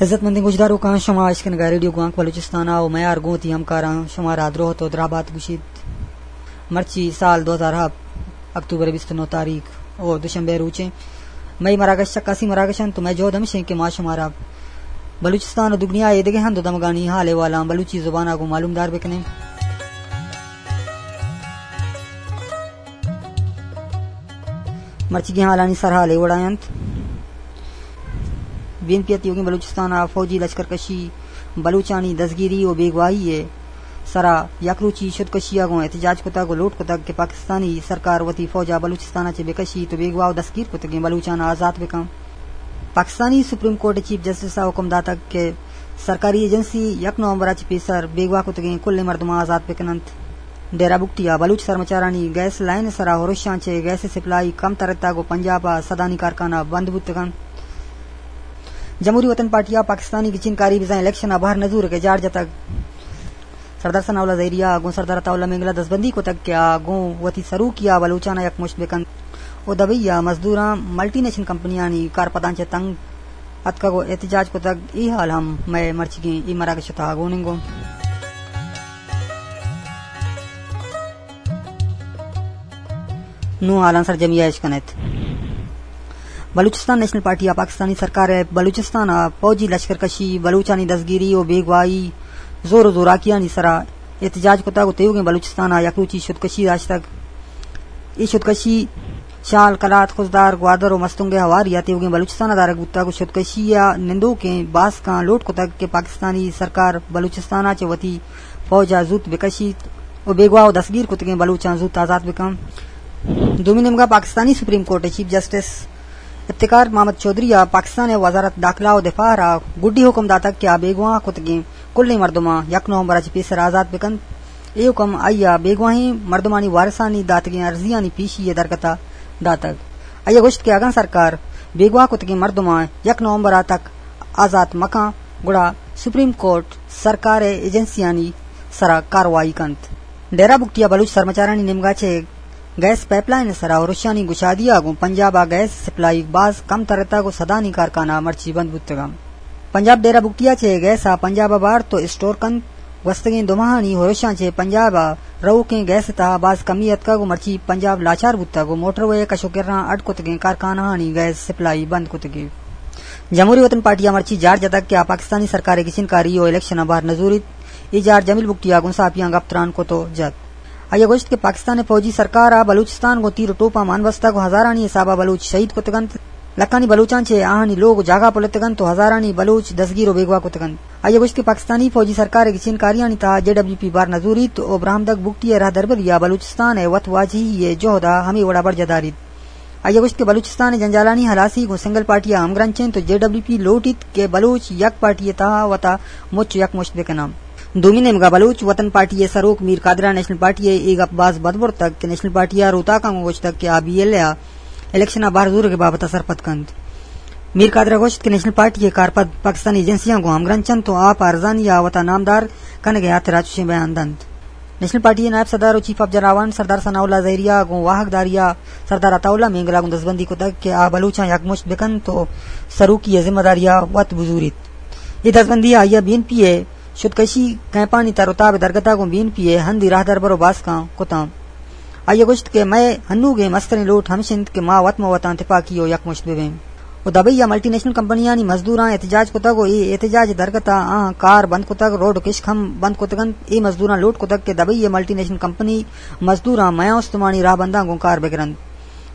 عزت مندیں گوشداروکاں، شما اشکنگا ریڈیو گوانک بلوچستان ءَ ءُ میار گوں وتی ہمکاراں شمارا دروہ ءُ درہبات گوشیت۔ مرچی سال دو ہزار ہپت، اکتوبر بیست و نو تاریخ ءُ دوشنبے روچیں۔ مئے مراگش چکاسی مراگش انت ءُ مئے جہد ہمیش انت کہ ما شمارا بلوچستان ءُ دگنیا ءِ دگہ ہند ءُ دمگانی حال احوالاں بلوچی زبان ءَ گوں معلومدار بکنیں۔ مرچیگیں حالانی سرحال اے وڑا انت۔ بی این پی ءِ تیوگیں بلوچستان ءَ فوجی لشکرکشی، بلوچانی دزگیری ءُ بیگواہی ءِ سرا یک روچی شدکشی ءَ گوں احتجاج کتگ ءُ لوٹ کتگ کہ پاکستانی سرکار وتی فوج ءَ بلوچستان ءَ چہ بکشیت ءُ بیگواہ ءُ دستگیر کتگیں بلوچاں آزات بکن۔ پاکستانی سپریم کورٹ ءِ چیف جسٹس ءَ حکم داتگ کہ سرکاری ایجنسی یک نومبر ءَ چہ پیسر بیگواہ کتگیں کلیں مردماں آزات بکن انت۔ ڈیرہ بگٹی ءَ بلوچ سرمچارانی گیس لائن ءِ سرا ہرشاں چہ گیس ءِ سپلائی کم ترتگ ءُ پنجاب ءَ سدانی کارخانہ بند بوتگ انت۔ جمہوری وطن پارٹی ءَ پاکستانی گچین کاری بزاں الیکشن ءَ بہر نزورگ ءِ جار جتگ۔ سردار ثناء اللہ زہری ءَ گوں سردار عطا اللہ مینگل ءَ دزبندی کتگ کہ آ گوں وتی سروکی ءَ بلوچاں ءَ یکمشت بکنت ءُ دبئی ءَ مزدوراں ملٹی نیشنل کمپنیانی کارپداں چہ تنگ اتکگ ءُ احتجاج کتگ۔ اے حال ہم مئے مرچیگیں اے مراگش ءِ تہا گون انت۔ گوں نوں حالاں سرجمی ءَ اش کن ات۔ بلوچستان نیشنل پارٹی ءَ پاکستانی سرکار ءِ بلوچستان ءَ فوجی لشکرکشی، بلوچانی دزگیری ءُ بیگواہی، زور ءُ زوراکیانی سرا احتجاج کتگ ءُ تیوگیں بلوچستان ءَ یک روچی شدکشی داشتگ۔ اے شدکشی شال، کلات، خضدار، گوادر ءُ مستونگ ءِ ہواری ءَ تیوگیں بلوچستان ءَ دارگ بوتگ ءُ شدکشی ءَ نندوکیں باسکاں لوٹ کتگ کہ پاکستانی سرکار بلوچستان ءَ چہ وتی فوج ءَ زوت بکشیت ءُ بیگواہ ءُ دستگیر کتگیں بلوچاں زوت آزات بکن۔ دومی نیمگا پاکستانی سپریم کورٹ ءِ چیف جسٹس افتخار محمد چوہدری ءَ پاکستان ءِ وزارت داخلہ ءُ دفاع ءَ را گڈی حکم داتگ کہ آ بیگواہ کتگیں کلیں مردماں یک نومبر ءَ چہ پیسر آزات بکنت۔ اے حکم آئی ءَ بیگواہیں مردمانی وارثانی داتگیں ارزیانی پیشی ءِ درگت ءَ داتگ۔ آئی ءَ گوشت کہ اگاں سرکار بیگواہ کتگیں مردماں یک نومبر ءَ تک آزات مکن، گڑا سپریم کورٹ سرکار ءِ ایجنسیانی سرا کاروائی کنت۔ ڈیرہ بگٹی ءَ بلوچ سرمچارانی نیمگا چہ گیس پائپ لائن ءِ سرا ہرشانی گشادی ءَ گوں پنجاب ءَ گیس سپلائی باز کم ترتگ ءُ سدانی کارخانہ مرچی بند بوتگ انت۔ پنجاب ڈیرہ بگٹی ءَ چہ گیس ءَ پنجاب ءَ بارت ءُ اسٹور کنت۔ گوستگیں دو ماہانی ہرشاں چہ پنجاب ءَ روکیں گیس ءِ تہا باز کمی اتکگ ءُ مرچی پنجاب لاچار بوتگ ءُ موٹر وے ءِ کش ءُ کراں اڈ کتگیں کارخانہانی گیس سپلائی بند کتگ۔ جمہوری وطن پارٹی ءَ مرچی جار جتگ کہ آ پاکستانی سرکار ءِ گچین کاری ءُ الیکشن ءَ بہر نزوریت۔ اے جار جمیل بگٹی ءَ گوں ساپیاں گپ تران کت ءُ جت۔ آئی ءَ گوشت کہ پاکستان ءِ فوجی سرکار ءَ بلوچستان گوں تیر ءُ ٹوپاں مان بستگ ءُ ہزارانی حساب ءَ بلوچ شہید کتگ انت۔ لکھانی بلوچاں چہ آہانی لوگ ءُ جاگہ پلتگ انت ءُ ہزارانی بلوچ دزگیر ءُ بیگواہ کتگ انت۔ آئی ءَ گوشت کہ پاکستانی فوجی سرکار ءِ گچین کاریانی تہا جے ڈبلیو پی بار نہ زوریت ءُ براہمدگ بگٹی ءِ راہدربری ءَ بلوچستان ءِ وت واجہی ءِ جہد ءَ ہمے وڑ ءَ برجاہ داریت۔ آئی ءَ گوشت کہ بلوچستان ءِ جنجالانی ہلاسی گوں سنگل پارٹی ءَ ہمگرنچ انت ءُ جے ڈبلیو پی لوٹیت کہ بلوچ یک پارٹی ءِ تہا وتا مچ ءُ یکمشت بکناں۔ دومی نیمگا بلوچ وطن پارٹی ءِ سروک میر قادر ءَ نیشنل پارٹی ءِ اے گپ باز بد برتگ کہ نیشنل پارٹی ءَ روتاکاں گوں گوشتگ کہ آ بی ایل اے ءَ الیکشن ءَ بہر زورگ ءِ بابت ءَ سرپد کنت۔ میر قادر ءَ گوشت کہ نیشنل پارٹی ءِ کارپد پاکستانی ایجنسیاں گوں ہمگرنچ انت ءُ آ پہ ارزانی ءَ وتا نامدار کنگ ءِ ہاترا چشیں بیان دنت۔ نیشنل پارٹی ءِ نائب صدر ءُ چیف آف جراوان سردار ثناء اللہ زہری ءَ گوں واہگ داری ءَ سردار عطا اللہ مینگل ءَ گوں دزبندی کتگ کہ آ بلوچاں یکمشت بکنت ءُ سروکی ءِ ذمہ داری ءَ وت بزوریت۔ اے دزبندی ءَ آئی ءَ بی این پی ءِ شدکشی کیمپانی تر ءُ تاب ءِ درگت ءَ گوں بی این پی ءِ ہندی راہدربر ءُ باسکاں کتاں۔ آئی ءَ گوشت کہ مئے ہنوگیں مستریں لوٹ ہمش انت کہ ما وت مہ وتاں تپاکی ءُ یکمشت بہ بیں۔ ءُ دبئی ءَ ملٹی نیشنل کمپنیانی مزدوراں احتجاج کتگ ءُ اے احتجاج ءِ درگت ءَ آہاں کار بند کتگ، روڈ ءُ کشک ہم بند کتگ انت۔ اے مزدوراں لوٹ کتگ کہ دبئی ءِ ملٹی نیشنل کمپنی مزدوراں میاں استمانی راہبنداں گوں کار بگرنت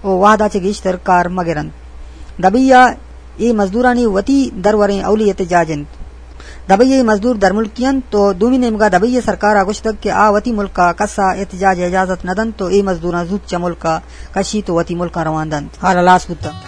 ءُ وہد ءَ چہ گیشتر کار مہ گرنت۔ دبئی ءَ اے مزدورانی وتی دروریں اولی احتجاج انت۔ دبئی ءِ مزدور درملکی انت ءُ دومی نیمگا دبئی ءِ سرکار ءَ گوشتگ کہ آ وتی ملک ءَ کس ءَ احتجاج ءِ اجازت نہ دنت ءُ اے مزدوراں زوت چہ ملک ءَ کشیت ءُ وتی ملک ءَ روان دنت۔ حال ہلاس بوتگ۔